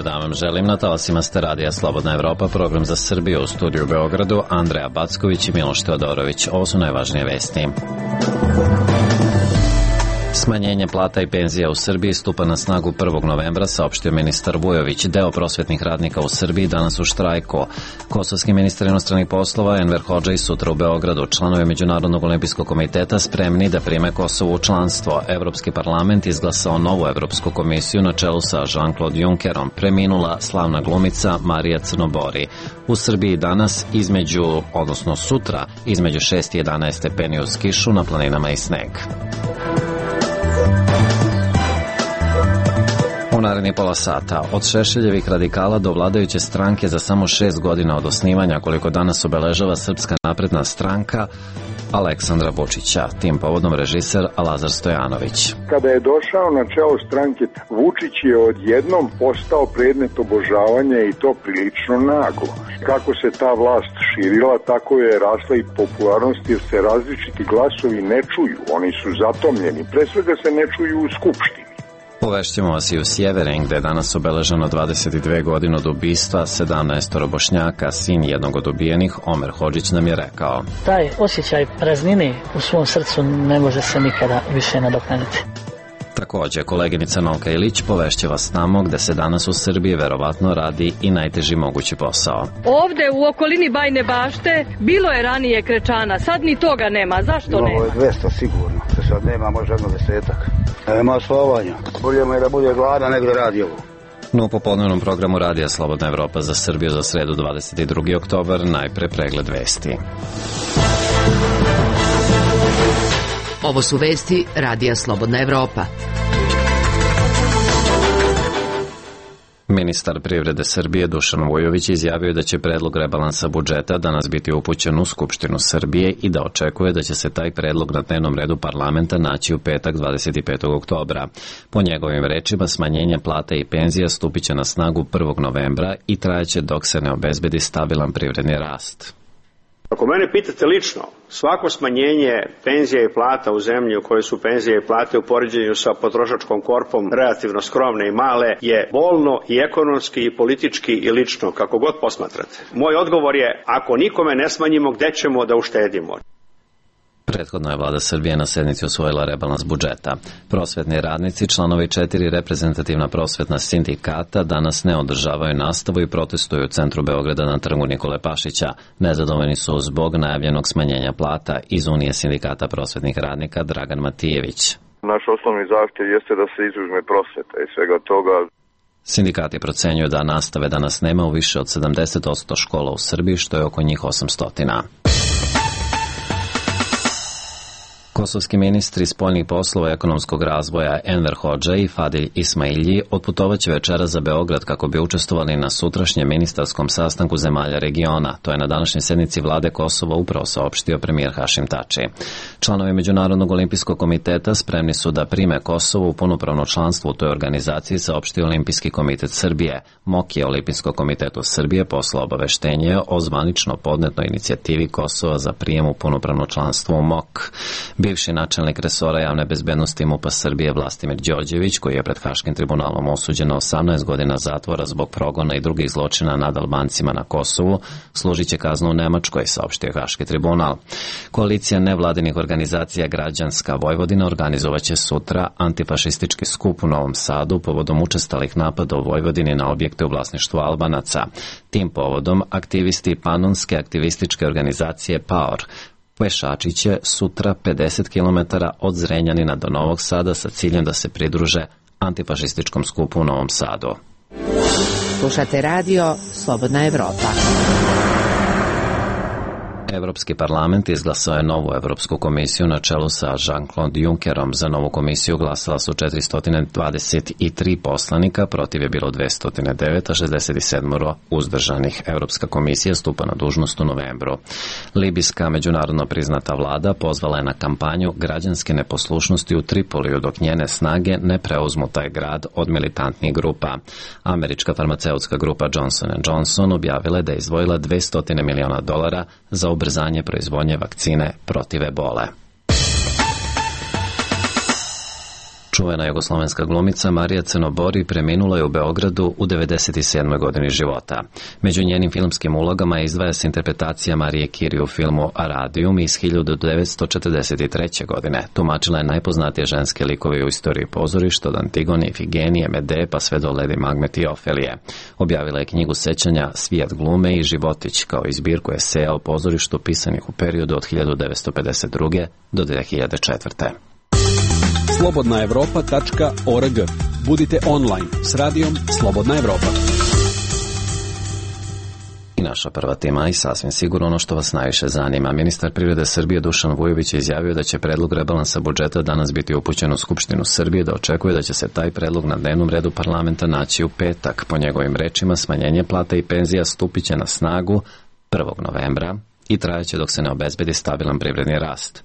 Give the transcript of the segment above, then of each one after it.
Dobar dan vam želim, na talasima ste Radija Slobodna Evropa, program za Srbiju, u studiju u Beogradu, Andreja Backović i Miloš Teodorović. Ovo su najvažnije vesti. Smanjenje plata i penzija u Srbiji stupa na snagu 1. novembra, saopštio ministar Vujović. Deo prosvetnih radnika u Srbiji danas u štrajku. Kosovski ministar inostranih poslova Enver Hodžaj sutra u Beogradu. Članovi Međunarodnog olimpijskog komiteta spremni da prime Kosovo u članstvo. Evropski parlament izglasao novu Evropsku komisiju na čelu sa Jean-Claude Junckerom. Preminula slavna glumica Marija Crnobori. U Srbiji danas sutra između 6 i 11 stepeni uz kišu, na planinama i sneg. U narednih pola sata, od Šešeljevih radikala do vladajuće stranke za samo 6 godina od osnivanja, koliko danas obeležava Srpska napredna stranka Aleksandra Vučića. Tim povodom režiser Lazar Stojanović. Kada je došao na čelo stranke, Vučić je odjednom postao predmet obožavanja i to prilično naglo. Kako se ta vlast širila, tako je rasla i popularnost, jer se različiti glasovi ne čuju, oni su zatomljeni, pre svega se ne čuju u Skupštini. Povešćemo vas i u Sjeverin, gde je danas obeleženo 22 godine od ubistva 17 Bošnjaka. Sin jednog od ubijenih, Omer Hodžić, nam je rekao: taj osjećaj praznine u svom srcu ne može se nikada više nadoknaditi. Takođe, koleginica Nolka Ilić povešće vas tamo gde se danas u Srbiji verovatno radi i najteži mogući posao. Ovde u okolini Bajne Bašte bilo je ranije krečana, sad ni toga nema. Zašto nema? Ovo je 200 sigurno, se sad nema, može jedno 10-ak. Nema slovanja. Bolje mu je da bude gladan nego da radi ovo. No, u popodnevnom programu Radija Slobodna Evropa za Srbiju za sredu 22. oktobar najpre pregled vesti. Ovo su vesti Radija Slobodna Evropa. Ministar privrede Srbije Dušan Vujović izjavio da će predlog rebalansa budžeta danas biti upućen u Skupštinu Srbije i da očekuje da će se taj predlog na dnevnom redu parlamenta naći u petak 25. oktobra. Po njegovim rečima, smanjenje plata i penzija stupit će na snagu 1. novembra i trajaće dok se ne obezbedi stabilan privredni rast. Ako mene pitate lično, svako smanjenje penzija i plata u zemlji u kojoj su penzije i plate u poređenju sa potrošačkom korpom relativno skromne i male je bolno i ekonomski i politički i lično, kako god posmatrate. Moj odgovor je, ako nikome ne smanjimo, gde ćemo da uštedimo? Prethodno je vlada Srbije na sednici usvojila rebalans budžeta. Prosvetni radnici, članovi 4 reprezentativna prosvetna sindikata, danas ne održavaju nastavu i protestuju u centru Beograda na trgu Nikole Pašića. Nezadovoljni su zbog najavljenog smanjenja plata. Iz Unije sindikata prosvetnih radnika Dragan Matijević. Naš osnovni zahtjev jeste da se izuzme prosveta i svega toga. Sindikati procenjuju da nastave danas nema u više od 70% škola u Srbiji, što je oko njih 800. Kosovski ministri spoljnih poslova i ekonomskog razvoja Enver Hodžaj i Fadil Ismailji otputovaće večeras za Beograd kako bi učestvovali na sutrašnjem ministarskom sastanku zemalja regiona. To je na današnjoj sednici vlade Kosova upravo saopštio premijer Hašim Tači. Članovi Međunarodnog olimpijskog komiteta spremni su da prime Kosovo u punopravno članstvo u toj organizaciji, saopštio Olimpijski komitet Srbije. MOK je Olimpijskom komitetu Srbije poslao obaveštenje o zvanično podnetoj inicijativi Kosova za prijem u punopravno članstvo u MOK. Bivši načelnik resora javne bezbednosti MUP-a Srbije Vlastimir Đorđević, koji je pred Haškim tribunalom osuđen na 18 godina zatvora zbog progona i drugih zločina nad Albancima na Kosovu, služit će kaznu u Nemačkoj, saopštio Haški tribunal. Koalicija nevladinih organizacija Građanska Vojvodina organizovaće sutra antifašistički skup u Novom Sadu povodom učestalih napada u Vojvodini na objekte u vlasništvu Albanaca. Tim povodom aktivisti panonske aktivističke organizacije PAOR pešači će sutra 50 km od Zrenjanina do Novog Sada sa ciljem da se pridruže antifašističkom skupu u Novom Sadu. Slušate radio Slobodna Evropa. Evropski parlament izglasao je novu Evropsku komisiju na čelu sa Jean-Claude Junckerom. Za novu komisiju glasala su 423 poslanika, protiv je bilo 209, a 67 uzdržanih. Evropska komisija stupa na dužnost u novembru. Libijska međunarodno priznata vlada pozvala je na kampanju građanske neposlušnosti u Tripoliju dok njene snage ne preuzmu taj grad od militantnih grupa. Američka farmaceutska grupa Johnson & Johnson objavila je da je izdvojila $200 miliona za ubrzanje proizvodnje vakcine protiv ebole. Čuvena jugoslovenska glumica Marija Crnobori preminula je u Beogradu u 97. godini života. Među njenim filmskim ulogama izdvaja se interpretacija Marije Kiri u filmu Aradium iz 1943. godine. Tumačila je najpoznatije ženske likove u istoriji pozorišta, od Antigone, Ifigenije, Medee pa sve do Ledi Magmet i Ofelije. Objavila je knjigu sećanja Svijet glume i životić, kao i zbirku eseja o pozorištu pisanih u periodu od 1952. do 2004. slobodnaevropa.org. Budite online s radijom Slobodna Evropa. I naša prva tema i sasvim sigurno ono što vas najviše zanima. Ministar privrede Srbije Dušan Vujović je izjavio da će predlog rebalansa budžeta danas biti upućen u Skupštinu Srbije, da očekuje da će se taj predlog na dnevnom redu parlamenta naći u petak. Po njegovim rečima, smanjenje plata i penzija stupiće na snagu 1. novembra i trajaće dok se ne obezbedi stabilan privredni rast.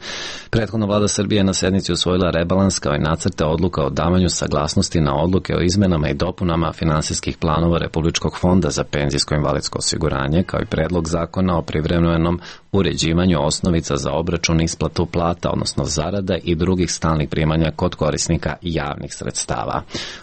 Prethodno vlada Srbije na sednici usvojila rebalans kao i nacrte odluka o davanju saglasnosti na odluke o izmenama i dopunama finansijskih planova Republičkog fonda za penzijsko-invalidsko osiguranje, kao i predlog zakona o privremenom uređivanju osnovica za obračun i isplatu plata, odnosno zarada i drugih stalnih primanja kod korisnika javnih sredstava.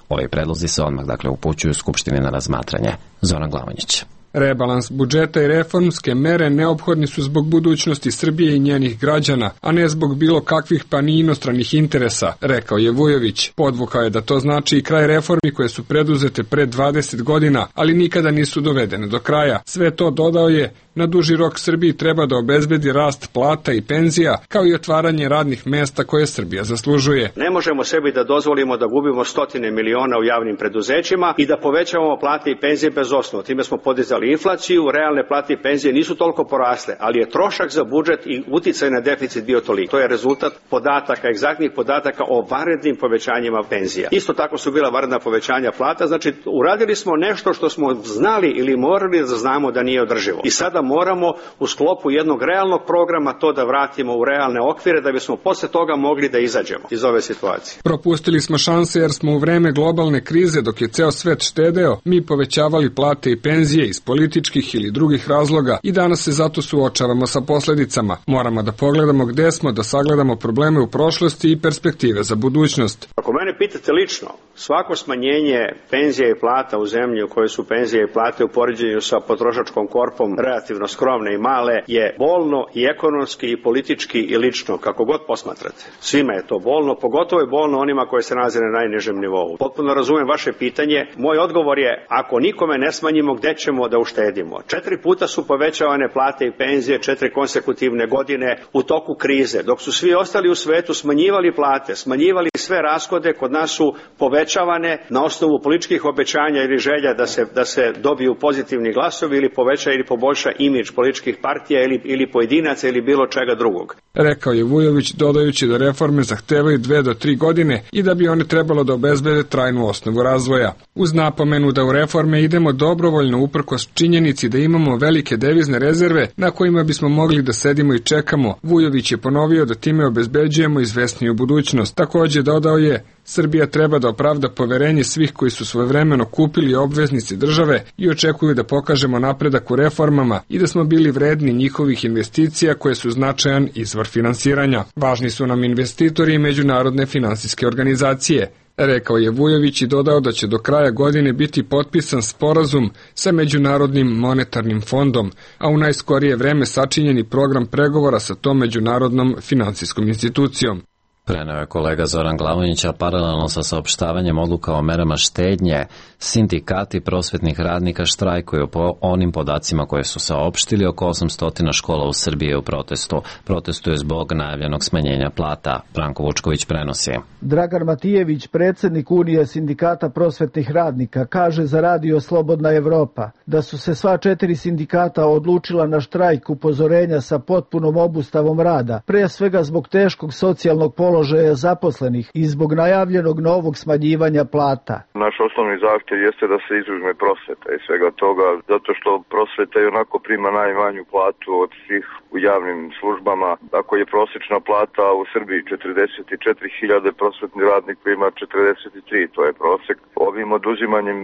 Ovi predlozi se odmah upućuju Skupštini na razmatranje. Zoran Glavonjić. Rebalans budžeta i reformske mere neophodni su zbog budućnosti Srbije i njenih građana, a ne zbog bilo kakvih pa ni inostranih interesa, rekao je Vujović. Podvukao je da to znači i kraj reformi koje su preduzete pre 20 godina, ali nikada nisu dovedene do kraja. Sve to, dodao je, na duži rok Srbiji treba da obezbedi rast plata i penzija, kao i otvaranje radnih mesta koje Srbija zaslužuje. Ne možemo sebi da dozvolimo da gubimo stotine miliona u javnim preduzećima i da povećavamo plate i penzije bez osnova. Time smo podizali inflaciju, realne plate i penzije nisu toliko porasle, ali je trošak za budžet i uticaj na deficit bio toliko. To je rezultat podataka, egzaktnih podataka o vanrednim povećanjima penzija. Isto tako su bila vanredna povećanja plata, znači uradili smo nešto što smo znali ili morali da znamo da nije održivo. I sada moramo u sklopu jednog realnog programa to da vratimo u realne okvire da bismo posle toga mogli da izađemo iz ove situacije. Propustili smo šanse jer smo u vreme globalne krize, dok je ceo svet štedeo, mi povećavali plate i penzije iz političkih ili drugih razloga i danas se zato suočavamo sa posledicama. Moramo da pogledamo gde smo, da sagledamo probleme u prošlosti i perspektive za budućnost. Ako mene pitate lično, svako smanjenje penzija i plata u zemlji u kojoj su penzije i plate u poređenju sa potrošačkom korpom relativno skromne i male je bolno i ekonomski i politički i lično, kako god posmatrate. Svima je to bolno, pogotovo je bolno onima koji se nalaze na najnižem nivou. Potpuno razumem vaše pitanje. Moj odgovor je, ako nikome ne smanjimo, gde ćemo da uštedimo? 4 puta su povećavane plate i penzije, 4 konsekutivne godine u toku krize, dok su svi ostali u svetu smanjivali plate, smanjivali sve rashode, kod nas su povećavane na osnovu političkih obećanja ili želja da se dobiju pozitivni glasovi ili poveća ili poboljša imidž političkih partija ili pojedinaca ili bilo čega drugog. Rekao je Vujović, dodajući da reforme zahtevaju 2 do 3 godine i da bi one trebalo da obezbede trajnu osnovu razvoja. Uz napomenu da u reforme idemo dobrovoljno uprkos činjenici da imamo velike devizne rezerve na kojima bismo mogli da sedimo i čekamo, Vujović je ponovio da time obezbeđujemo izvesniju budućnost. Takođe dodao je, Srbija treba da opravda poverenje svih koji su svojevremeno kupili obveznice države i očekuju da pokažemo napredak u reformama i da smo bili vredni njihovih investicija koje su značajan izvor finansiranja. Važni su nam investitori i međunarodne finansijske organizacije, rekao je Vujović i dodao da će do kraja godine biti potpisan sporazum sa Međunarodnim monetarnim fondom, a u najskorije vreme sačinjeni program pregovora sa tom međunarodnom finansijskom institucijom. Preneo je kolega Zoran Glavonjić, a paralelno sa saopštavanjem odluka o merama štednje, sindikati prosvetnih radnika štrajkuju po onim podacima koje su saopštili. Oko 800 škola u Srbiji je u protestu. Protestuju zbog najavljenog smanjenja plata. Branko Vučković prenosi. Dragan Matijević, predsjednik Unije sindikata prosvetnih radnika, kaže za radio Slobodna Evropa da su se sva 4 sindikata odlučila na štrajk upozorenja sa potpunom obustavom rada, pre svega zbog teškog socijalnog položaja zaposlenih i zbog najavljenog novog smanjivanja plata. Naš osnovni zahtjev jeste da se izuzme prosveta i svega toga, zato što prosveta i onako prima najmanju platu od svih u javnim službama. Ako je prosječna plata u Srbiji 44.000, prosvetni radnik ima 43, to je prosjek. Ovim oduzimanjem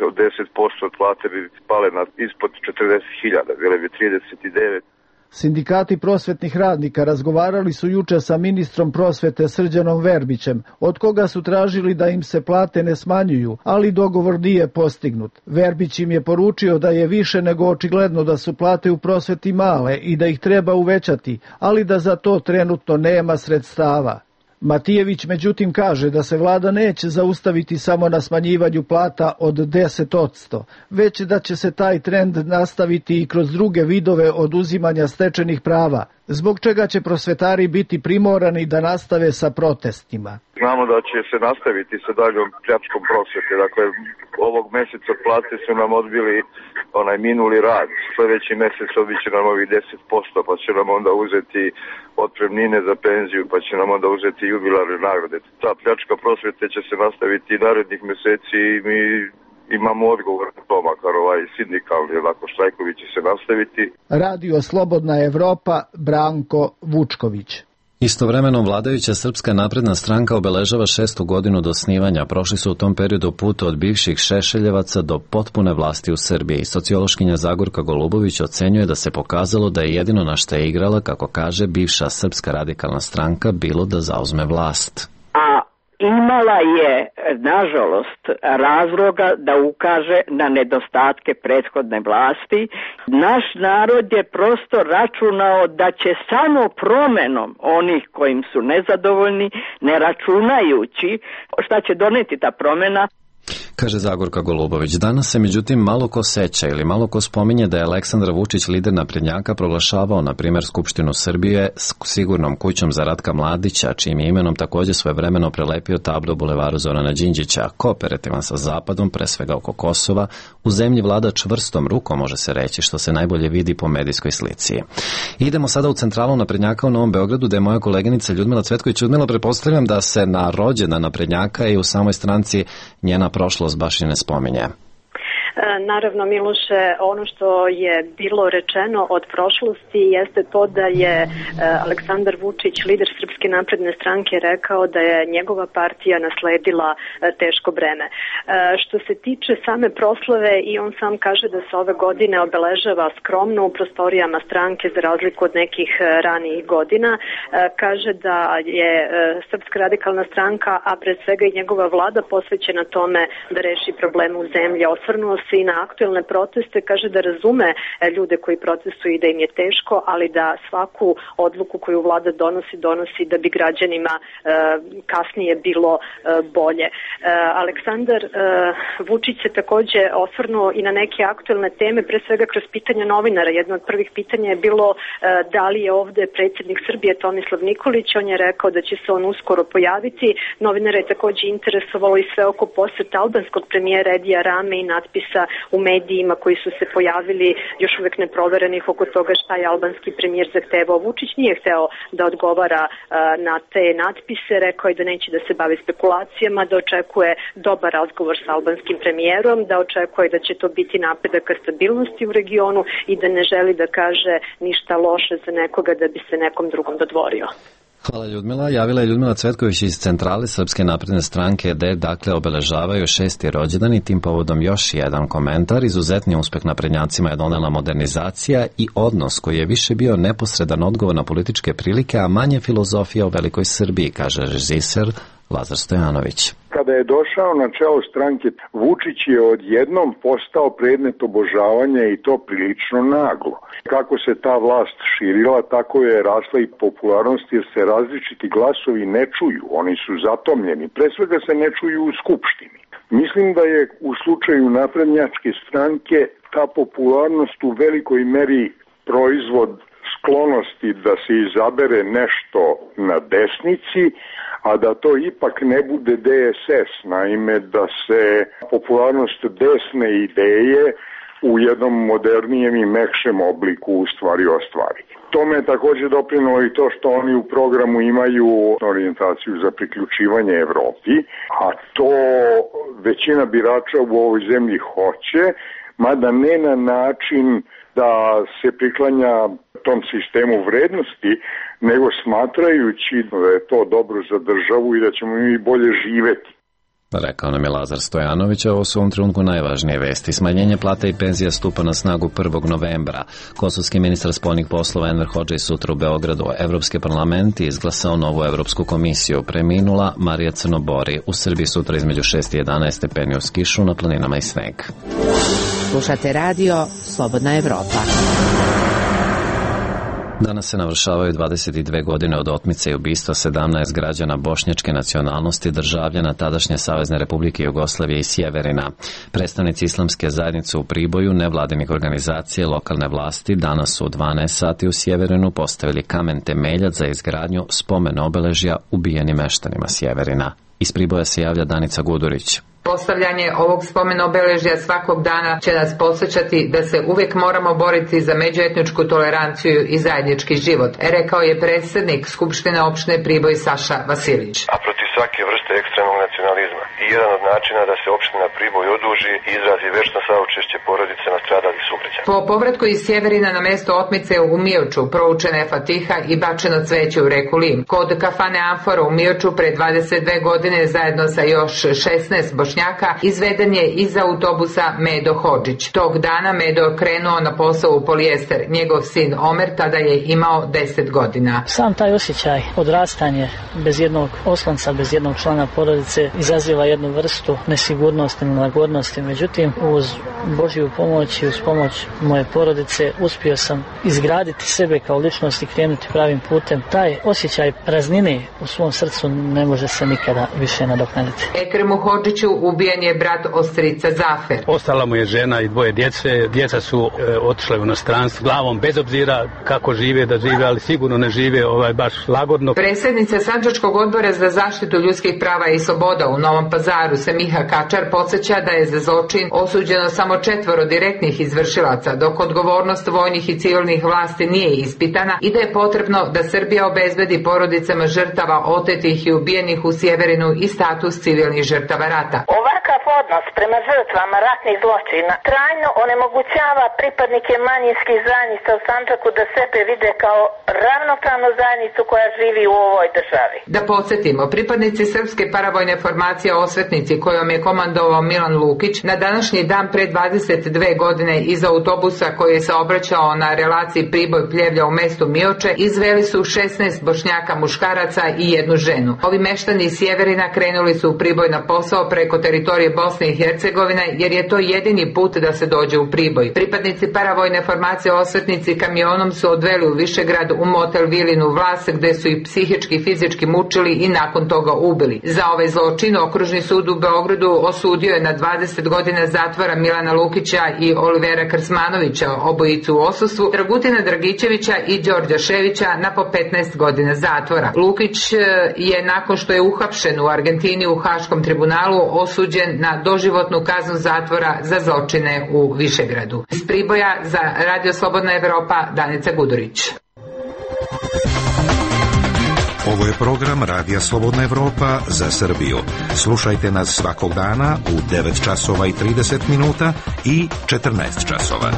od 10% od plate bi spale ispod 40.000, bile bi 39. Sindikati prosvetnih radnika razgovarali su juče sa ministrom prosvete Srđanom Verbićem, od koga su tražili da im se plate ne smanjuju, ali dogovor nije postignut. Verbić im je poručio da je više nego očigledno da su plate u prosveti male i da ih treba uvećati, ali da za to trenutno nema sredstava. Matijević međutim kaže da se vlada neće zaustaviti samo na smanjivanju plata od 10%, već da će se taj trend nastaviti i kroz druge vidove oduzimanja stečenih prava, zbog čega će prosvetari biti primorani da nastave sa protestima. Znamo da će se nastaviti sa daljom pljačkom prosvete. Dakle, ovog meseca plate su nam odbili onaj minuli rad. Sljedeći mesec odbit će nam ovih 10%, pa će nam onda uzeti otpremnine za penziju, pa će nam onda uzeti jubilarne nagrade. Ta pljačka prosvete će se nastaviti i narednih meseci i mi imamo odgovor na to, makar ovaj sindikalni, onako štrajkovi će se nastaviti. Radio Slobodna Evropa, Branko Vučković. Istovremeno vladajuća Srpska napredna stranka obeležava 6. godinu do osnivanja. Prošli su u tom periodu put od bivših Šešeljevaca do potpune vlasti u Srbiji. Sociološkinja Zagorka Golubović ocenjuje da se pokazalo da je jedino na što je igrala, kako kaže, bivša Srpska radikalna stranka bilo da zauzme vlast. Imala je, nažalost, razloga da ukaže na nedostatke prethodne vlasti. Naš narod je prosto računao da će samo promenom onih kojim su nezadovoljni, ne računajući šta će doneti ta promena, kaže Zagorka Golubović. Danas se međutim malo ko seća ili malo ko spominje da je Aleksandar Vučić, lider naprednjaka, proglašavao na primjer Skupštinu Srbije s sigurnom kućom za Ratka Mladića, čijim je imenom također svojevremeno prelepio tablo Bulevaru Zorana Đinđića. Kooperativan sa Zapadom, pre svega oko Kosova, u zemlji vlada čvrstom rukom, može se reći, što se najbolje vidi po medijskoj slici. Idemo sada u centralu naprednjaka u Novom Beogradu, da je moja koleginica Ljudmila Cvetković. Ljudmila, pretpostavljam da se na rođendan naprednjaka i u samoj stranci njena prošlost baš i ne spominje. Naravno, Miloše, ono što je bilo rečeno od prošlosti jeste to da je Aleksandar Vučić, lider Srpske napredne stranke, rekao da je njegova partija nasledila teško breme. Što se tiče same proslave, i on sam kaže da se ove godine obeležava skromno u prostorijama stranke za razliku od nekih ranijih godina. Kaže da je Srpska radikalna stranka, a pred svega i njegova vlada, posvećena tome da reši probleme u zemlji. Osvrnuo se i na aktuelne proteste, kaže da razume ljude koji protestuju i da im je teško, ali da svaku odluku koju vlada donosi da bi građanima kasnije bilo bolje. Aleksandar Vučić se takođe osvrnuo i na neke aktuelne teme, pre svega kroz pitanja novinara. Jedno od prvih pitanja je bilo da li je ovde predsjednik Srbije Tomislav Nikolić. On je rekao da će se on uskoro pojaviti. Novinara je takođe interesovalo i sve oko poseta albanskog premijera Edija Rame i natpisa u medijima koji su se pojavili još uvek neproverenih oko toga šta je albanski premijer zahtevao. Vučić nije hteo da odgovara na te natpise, rekao je da neće da se bavi spekulacijama, da očekuje dobar razgovor sa albanskim premijerom, da očekuje da će to biti napredak ka stabilnosti u regionu i da ne želi da kaže ništa loše za nekoga da bi se nekom drugom dodvorio. Hvala Ljudmila. Javila je Ljudmila Cvetković iz centrale Srpske napredne stranke, gde dakle obeležavaju 6. rođendan i tim povodom još jedan komentar. Izuzetni uspeh naprednjacima je donela modernizacija i odnos koji je više bio neposredan odgovor na političke prilike, a manje filozofija o velikoj Srbiji, kaže režiser Lazar Stojanović. Kada je došao na čelo stranke, Vučić je odjednom postao predmet obožavanja i to prilično naglo. Kako se ta vlast širila, tako je rasla i popularnost, jer se različiti glasovi ne čuju, oni su zatomljeni. Pre svega se ne čuju u Skupštini. Mislim da je u slučaju naprednjačke stranke ta popularnost u velikoj meri proizvod sklonosti da se izabere nešto na desnici, a da to ipak ne bude DSS, naime da se popularnost desne ideje u jednom modernijem i mekšem obliku u stvari ostvari. Tome je također doprinalo i to što oni u programu imaju orijentaciju za priključivanje Evropi, a to većina birača u ovoj zemlji hoće, mada ne na način da se priklanja tom sistemu vrednosti, nego smatrajući da je to dobro za državu i da ćemo mi bolje živeti. Rekao nam je Lazar Stojanović, ovo su u ovom trenutku najvažnije vesti. Smanjenje plata i penzija stupa na snagu 1. novembra. Kosovski ministar spoljnih poslova Enver Hodžej sutra u Beogradu. Evropski parlament je izglasao novu Evropsku komisiju. Preminula Marija Crnobori. U Srbiji sutra između 6 i 11 stepeni uz kišu, na planinama i sneg. Slušate radio Slobodna Evropa. Danas se navršavaju 22 godine od otmice i ubistva 17 građana bošnjačke nacionalnosti, državljana tadašnje Savezne Republike Jugoslavije i Sjeverina. Predstavnici islamske zajednice u Priboju, nevladinih organizacije, lokalne vlasti danas u 12 sati u Sjeverinu postavili kamen temeljac za izgradnju spomen obeležja ubijenim meštanima Sjeverina. Iz Priboja se javlja Danica Gudurić. Postavljanje ovog spomen obeležja svakog dana će nas podsjećati da se uvijek moramo boriti za međuetničku toleranciju i zajednički život, rekao je predsjednik Skupštine opštine Priboj Saša Vasilić. A protiv svake vrste ekstremnog nacionalizma. I jedan od načina da se opština Priboj oduži i izrazi večno saučešće porodice nastradalih sugrađana. Po povratku iz Sjeverina na mesto otmice u Mioču proučena je fatiha i bačeno cveće u reku Lim. Kod kafane Amfora u Mioču pre 22 godine zajedno sa još 16 Bošnjaka izveden je iz autobusa Medo Hodžić. Tog dana Medo krenuo na posao u polijester. Njegov sin Omer tada je imao 10 godina. Sam taj osjećaj odrastanje bez jednog oslonca, bez jednog člana porodice izaziva jednu vrstu nesigurnosti, nelagodnosti. Međutim, uz Božju pomoć i uz pomoć moje porodice uspio sam izgraditi sebe kao ličnost i krenuti pravim putem. Taj osjećaj praznine u svom srcu ne može se nikada više nadoknaditi. Ekremu Hodžiću ubijen je brat ostrica Zafer. Ostala mu je žena i dvoje djece. Djeca su otišle u inostranstvo glavom, bez obzira kako žive, da žive, ali sigurno ne žive baš lagodno. Predsjednica Sandžačkog odbora za zaštitu ljudskih prava i sloboda u Novom Pazaru Semiha Kačar podsjeća da je za zločin osuđeno samo 4 direktnih izvršilaca, dok odgovornost vojnih i civilnih vlasti nije ispitana i da je potrebno da Srbija obezbedi porodicama žrtava otetih i ubijenih u Sjeverinu i status civilnih žrtava rata. Ovakav odnos prema žrtvama ratnih zločina trajno onemogućava pripadnike manjinskih zajednica u Sandžaku da sebe vide kao ravnopravnu zajednicu koja živi u ovoj državi. Da podsjetimo, pripadnici srpske paravojne formacije Osvetnici, kojom je komandovao Milan Lukić, na današnji dan pre 22 godine iz autobusa koji je saobraćao na relaciji Priboj-Pljevlja u mestu Mioče izveli su 16 Bošnjaka muškaraca i 1 ženu. Ovi meštani iz Sjeverina krenuli su u Priboj na posao preko teritorije Bosne i Hercegovine, jer je to jedini put da se dođe u Priboj. Pripadnici paravojne formacije Osvetnici kamionom su odveli u Višegrad u motel Vilinu Vlas, gde su ih psihički i fizički mučili i nakon toga ubili. Za ovaj zločin Okružni sud u Beogradu osudio je na 20 godina zatvora Milana Lukića i Olivera Krsmanovića, obojicu u odsustvu, Dragutina Dragićevića i Đorđa Ševića na po 15 godina zatvora. Lukić je nakon što je uhapšen u Argentini u Haškom tribunalu osuđen na doživotnu kaznu zatvora za zločine u Višegradu. Iz Priboja za Radio Slobodna Evropa, Danica Gudurić. Ovo je program Radija Slobodna Evropa za Srbiju. Slušajte nas svakog dana u 9 časova i 30 minuta i 14 časova.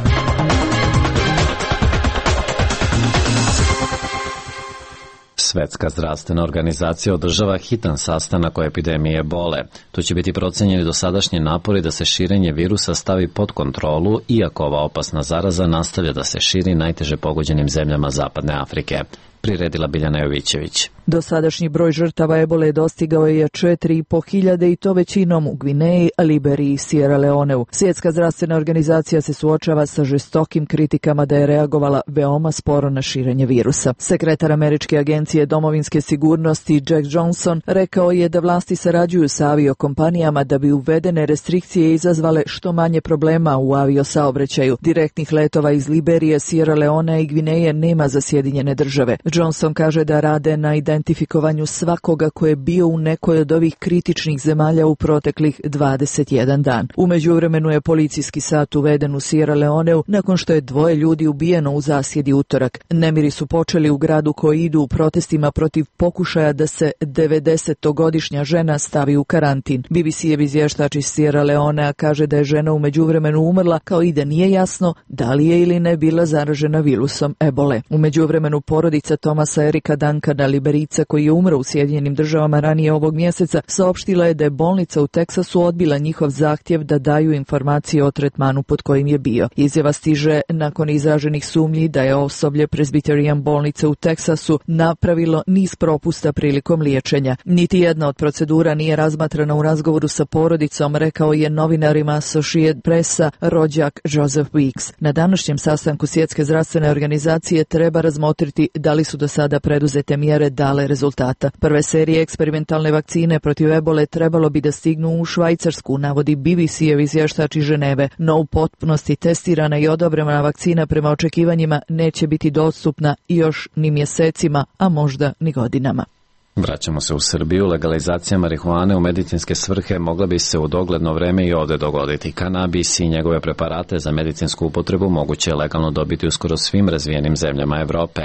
Svetska zdravstvena organizacija održava hitan sastanak o epidemiji ebole. Tu će biti procenjeni dosadašnji napori da se širenje virusa stavi pod kontrolu, iako ova opasna zaraza nastavlja da se širi najteže pogođenim zemljama Zapadne Afrike. Priredila Biljana Jovićević. Dosadašnji broj žrtava ebole dostigao je 4.500 i to većinom u Gvineji, Liberiji i Sierra Leoneu. Svjetska zdravstvena organizacija se suočava sa žestokim kritikama da je reagovala veoma sporo na širenje virusa. Sekretar Američke agencije domovinske sigurnosti Jack Johnson rekao je da vlasti sarađuju sa aviokompanijama da bi uvedene restrikcije izazvale što manje problema u aviosaobraćaju. Direktnih letova iz Liberije, Sierra Leonea i Gvineje nema za Sjedinjene države. Johnson kaže da rade na identifikovanju svakoga ko je bio u nekoj od ovih kritičnih zemalja u proteklih 21 dan. U međuvremenu je policijski sat uveden u Sierra Leoneu nakon što je 2 ljudi ubijeno u zasjedi utorak. Nemiri su počeli u gradu koji idu u protestima protiv pokušaja da se 90-godišnja žena stavi u karantin. BBC-ev izvještač iz Sierra Leonea kaže da je žena u međuvremenu umrla, kao i da nije jasno da li je ili ne bila zaražena virusom ebole. U međuvremenu porodica Tomasa Erika Duncana, Liberica koji je umro u Sjedinjenim Državama ranije ovog mjeseca, saopštila je da je bolnica u Teksasu odbila njihov zahtjev da daju informacije o tretmanu pod kojim je bio. Izjava stiže nakon izraženih sumnji da je osoblje Presbyterian bolnice u Teksasu napravilo niz propusta prilikom liječenja. Niti jedna od procedura nije razmatrana u razgovoru sa porodicom, rekao je novinarima Associated Pressa rođak Joseph Weeks. Na današnjem sastanku Svjetske zdravstvene organizacije treba razmotriti da li su do sada preduzete mjere dale rezultata. Prve serije eksperimentalne vakcine protiv ebole trebalo bi da stignu u Švajcarsku, navodi BBC-ev izvještač iz Ženeve, no u potpunosti testirana i odobrena vakcina prema očekivanjima neće biti dostupna još ni mjesecima, a možda ni godinama. Vraćamo se u Srbiju. Legalizacija marihuane u medicinske svrhe mogla bi se u dogledno vreme i ovdje dogoditi. Kanabis i njegove preparate za medicinsku upotrebu moguće je legalno dobiti u skoro svim razvijenim zemljama Evrope.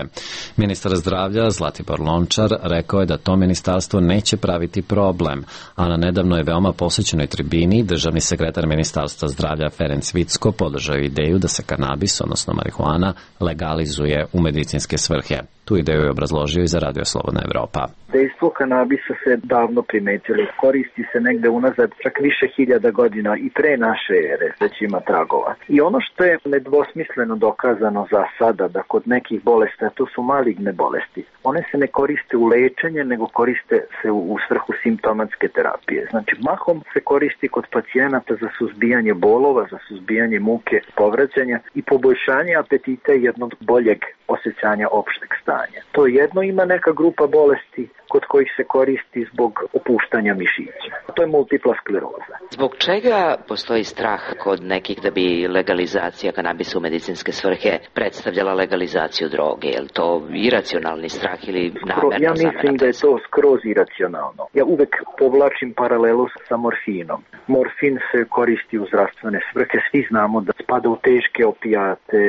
Ministar zdravlja Zlatibor Lončar rekao je da to ministarstvo neće praviti problem, a na nedavnoj veoma posjećenoj tribini državni sekretar Ministarstva zdravlja Ferenc Vicko podržao ideju da se kanabis, odnosno marihuana, legalizuje u medicinske svrhe. Tu ideju je obrazložio i za Radio Slobodna Evropa. Dejstvo kanabisa se davno primetili. Koristi se negde unazad čak više hiljada godina i pre naše ere već ima tragova. I ono što je nedvosmisleno dokazano za sada da kod nekih bolesti, to su maligne bolesti, one se ne koriste u lečenje, nego koriste se u svrhu simptomatske terapije. Znači, mahom se koristi kod pacijenata za suzbijanje bolova, za suzbijanje muke, povraćanja i poboljšanje apetita i jednog boljeg osjećanja opšteg stanja. To jedno ima neka grupa bolesti kod kojih se koristi zbog opuštanja mišića. To je multipla skleroza. Zbog čega postoji strah kod nekih da bi legalizacija kanabisa u medicinske svrhe predstavljala legalizaciju droge? Je li to iracionalni strah ili namerno? Ja mislim da je to skroz iracionalno. Ja uvek povlačim paralelu sa morfinom. Morfin se koristi u zdravstvene svrhe. Svi znamo da spada u teške opijate,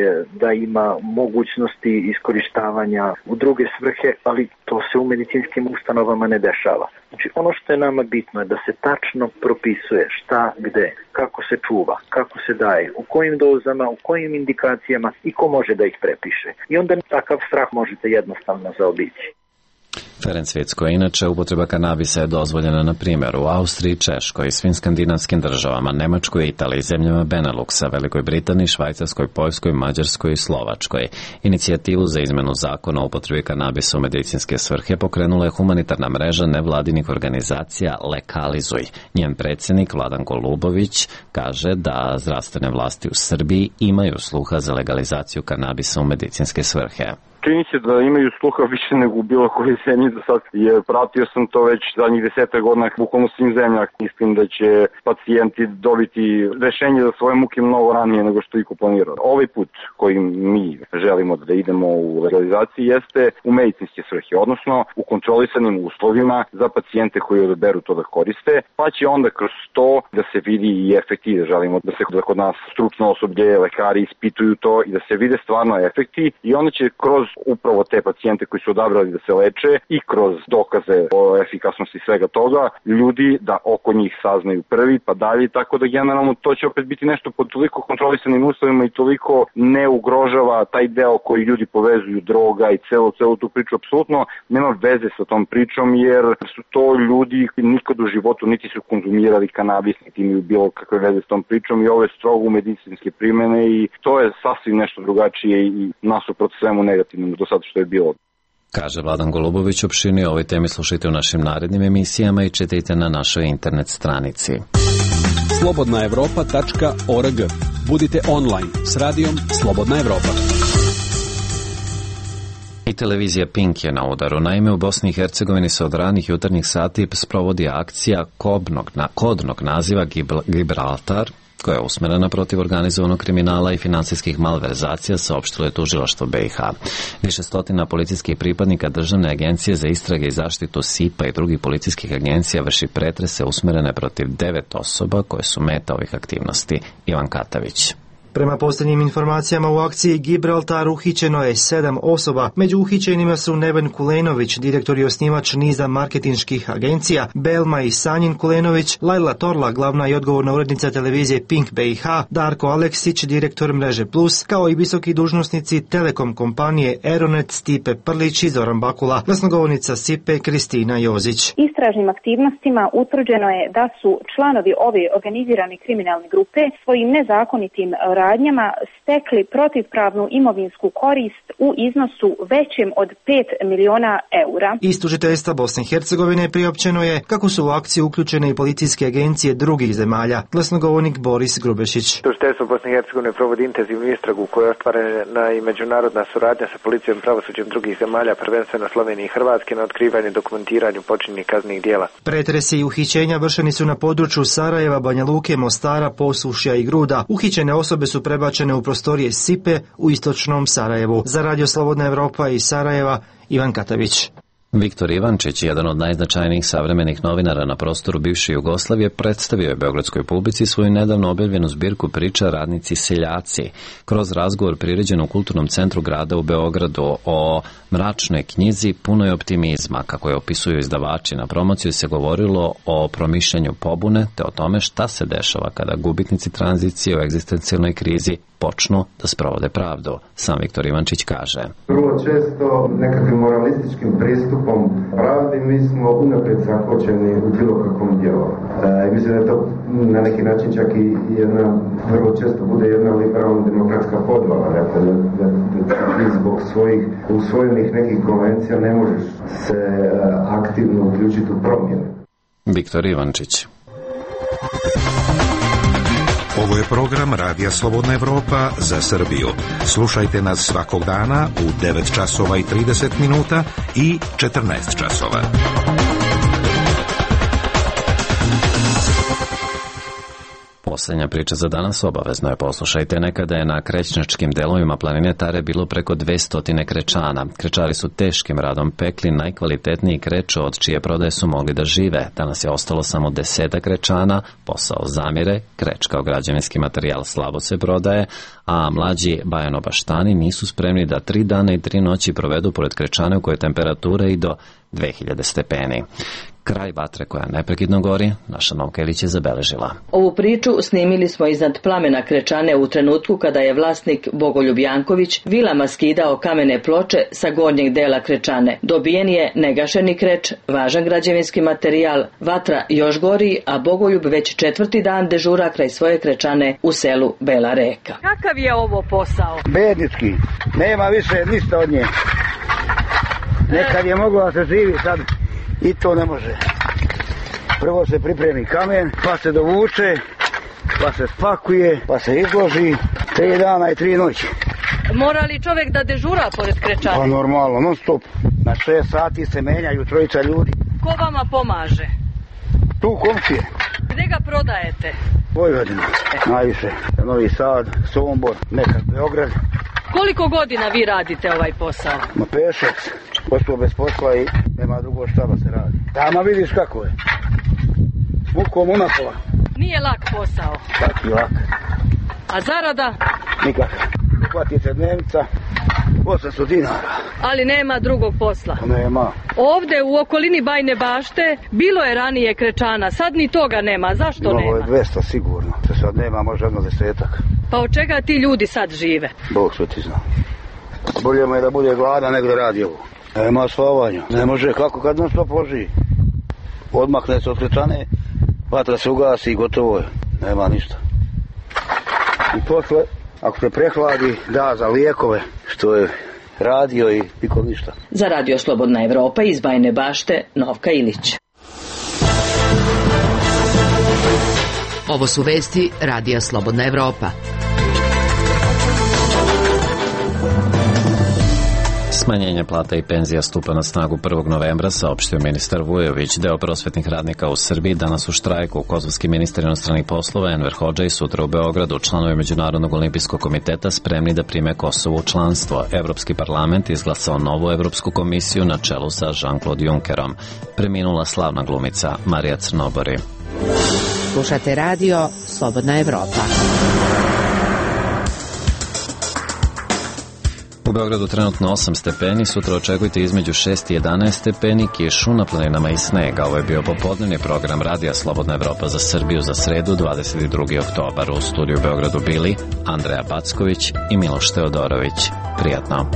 da ima mogućnosti iskorištavanja u druge svrhe, ali to se u medicinskim ustanovama ne dešava. Znači, ono što je nama bitno je da se tačno propisuje šta, gde, kako se čuva, kako se daje, u kojim dozama, u kojim indikacijama i ko može da ih prepiše. I onda takav strah možete jednostavno zaobići. Ferenc Vicko, inače, upotreba kanabisa je dozvoljena na primjer u Austriji, Češkoj i svim skandinavskim državama, Nemačkoj, Italiji, zemljama Beneluxa, Velikoj Britaniji, Švajcarskoj, Poljskoj, Mađarskoj i Slovačkoj. Inicijativu za izmenu zakona o upotrebi kanabisa u medicinske svrhe pokrenula je humanitarna mreža nevladinih organizacija Lekalizuj. Njen predsjednik Vladan Golubović kaže da zdravstvene vlasti u Srbiji imaju sluha za legalizaciju kanabisa u medicinske svrhe. Čini se da imaju sluha više nego u bilo kojoj zemlji do sad, jer pratio sam to već zadnjih 10 godina bukvalno svim zemljama. Mislim da će pacijenti dobiti rešenje za svoje muke mnogo ranije nego što iko planirao. Ovaj put koji mi želimo da idemo u legalizaciji jeste u medicinske svrhe, odnosno u kontrolisanim uslovima za pacijente koji odaberu to da koriste, pa će onda kroz to da se vidi i efekti. Želimo da se kod nas stručno osoblje, lekari ispituju to i da se vide stvarno efekti i onda će kroz upravo te pacijente koji su odabrali da se leče i kroz dokaze o efikasnosti svega toga, ljudi da oko njih saznaju prvi pa dalje, tako da generalno to će opet biti nešto pod toliko kontrolisanim uslovima i toliko ne ugrožava taj deo koji ljudi povezuju, droga i celu tu priču. Apsolutno nema veze sa tom pričom jer su to ljudi koji nikad u životu niti su konzumirali kanabis, niti imaju bilo kakve veze s tom pričom i ovo je strogo medicinske primene i to je sasvim nešto drugačije i nasuprot svemu negativnom do sada što je bilo. Kaže Vladan Golubović. Opširnije o ovoj temi slušajte u našim narednim emisijama i čitajte na našoj internet stranici. slobodnaevropa.org. Budite online s radijom Slobodna Evropa. I televizija Pink je na udaru. Naime, u Bosni i Hercegovini se od ranih jutarnjih sati sprovodi akcija kodnog naziva Gibraltar, koja je usmerena protiv organizovanog kriminala i finansijskih malverzacija, saopštilo je tužilaštvo BiH. Više stotina policijskih pripadnika Državne agencije za istrage i zaštitu SIPA i drugih policijskih agencija vrši pretrese usmerene protiv 9 osoba koje su meta ovih aktivnosti. Ivan Katavić. Prema posljednjim informacijama u akciji Gibraltar uhićeno je 7 osoba. Među uhićenima su Neven Kulenović, direktor i osnivač niza marketinških agencija, Belma i Sanjin Kulenović, Lajla Torla, glavna i odgovorna urednica televizije Pink BiH, Darko Aleksić, direktor mreže Plus, kao i visoki dužnosnici Telekom kompanije Aeronet, Stipe Prlić i Zoran Bakula. Glasnogovornica SIPE Kristina Jozić. Istražnim aktivnostima utvrđeno je da su članovi ove organizirane kriminalne grupe svojim nezakonitim radnjama stekli protivpravnu imovinsku korist u iznosu većem od 5 miliona eura. Iz tužiteljstva Bosne i Hercegovine priopćeno je kako su u akciju uključene i policijske agencije drugih zemalja. Glasnogovornik Boris Grubešić. Tužiteljstvo Bosne i Hercegovine provodi intenzivnu istragu koja je ostvarena i međunarodna suradnja sa policijom i pravosuđem drugih zemalja, prvenstveno Slovenije i Hrvatske, na otkrivanju i dokumentiranju počinjenih kaznenih djela. Pretresi i uhićenja vršeni su na području Sarajeva, Banja Luke, Mostara, Posušja i Gruda. Uhićene osobe su prebačene u prostorije SIPE u istočnom Sarajevu. Za Radio Slobodna Evropa iz Sarajeva, Ivan Katavić. Viktor Ivančić, jedan od najznačajnijih savremenih novinara na prostoru bivše Jugoslavije, predstavio je beogradskoj publici svoju nedavno objavljenu zbirku priča Radnici seljaci. Kroz razgovor priređen u Kulturnom centru grada u Beogradu o mračnoj knjizi punoj optimizma, kako je opisuju izdavači, na promociju se govorilo o promišljanju pobune te o tome šta se dešava kada gubitnici tranzicije u egzistencijalnoj krizi počnu da sprovode pravdu. Sam Viktor Ivančić kaže: Vrlo često nekakvim moralističkim pristupom pravdi mi smo unaprijed zakočeni u bilo kakvom dijelu. Mislim da je to na neki način čak i jedna, vrlo često bude jedna liberalna demokratska podvala, dakle da ti zbog svojih usvojenih nekih konvencija ne možeš se aktivno uključiti u promjene. Viktor Ivančić. Ovo je program Radija Slobodna Evropa za Srbiju. Slušajte nas svakog dana u 9 časova i 30 minuta i 14 časova. Posljednja priča za danas, obavezno je poslušajte. Nekada je na krećnačkim delovima planine Tare bilo preko 200 krečana. Krečari su teškim radom pekli najkvalitetniji krečo od čije prodaje su mogli da žive. Danas je ostalo samo 10 krečana, posao zamire, kreč kao građevinski materijal slabo se prodaje, a mlađi bajanobaštani nisu spremni da 3 dana i 3 noći provedu pored krečane u kojoj temperatura i do 2000 stepeni. Kraj vatre koja neprekidno gori, naša Novka Ilić je zabeležila. Ovu priču snimili smo iznad plamena krečane u trenutku kada je vlasnik Bogoljub Janković vilama skidao kamene ploče sa gornjeg dela krečane. Dobijen je negašeni kreč, važan građevinski materijal, vatra još gori, a Bogoljub već 4. dan dežura kraj svoje krečane u selu Bela Reka. Kakav je ovo posao? Bednički, nema više ništa od nje. Nekad je moglo da se živi, sad i to ne može. Prvo se pripremi kamen, pa se dovuče, pa se spakuje, pa se izloži 3 dana i 3 noći. Mora li čovjek da dežura pored krečane? Pa normalno, non stop. Na 6 sati se menjaju 3 ljudi. Ko vama pomaže? Tu komšije. Gde ga prodajete? Vojvodina, najviše. Novi Sad, Sombor, nekad Beograd. Koliko godina vi radite ovaj posao? Ma 5-6. Ostao bez posla i nema drugo šta da se radi. Tamo vidiš kako je. S mukom unapola. Nije lak posao. Taki lak. A zarada? Nikak. Uhvati se dnevnica, 800 dinara. Ali nema drugog posla. Nema. Ovde u okolini Bajne Bašte bilo je ranije krečana, sad ni toga nema. Zašto nema? Ovo je 200 sigurno. Se sad nema, može jedno 10-ak. Pa od čega ti ljudi sad žive? Bog što ti zna. Bolje mu je da bude gladan nego da radi ovo. Nema spavanja. Ne može, kako kad non stop loži. Odmakne se od krečane, vatra se ugasi i gotovo je. Nema ništa. I posle, ako se prehladi, da za lijekove, što je radio i nikom ništa. Za Radio Slobodna Evropa iz Bajne Bašte, Novka Ilić. Ovo su vesti Radija Slobodna Evropa. Smanjenje plata i penzija stupa na snagu 1. novembra, saopštio ministar Vujović. Deo prosvetnih radnika u Srbiji danas u štrajku. Kosovski ministar inostranih poslova Enver Hodžaj sutra u Beogradu. Članovi Međunarodnog olimpijskog komiteta spremni da prime Kosovo u članstvo. Evropski parlament izglasao novu Evropsku komisiju na čelu sa Jean-Claude Junckerom. Preminula slavna glumica Marija Crnobori. Slušate radio Slobodna Evropa. U Beogradu trenutno 8 stepeni, sutra očekujte između 6 i 11 stepeni, kišu na planinama i snega. Ovo je bio popodnevni program Radija Slobodna Evropa za Srbiju za sredu 22. oktobar. U studiju u Beogradu bili Andreja Backović i Miloš Teodorović. Prijatno.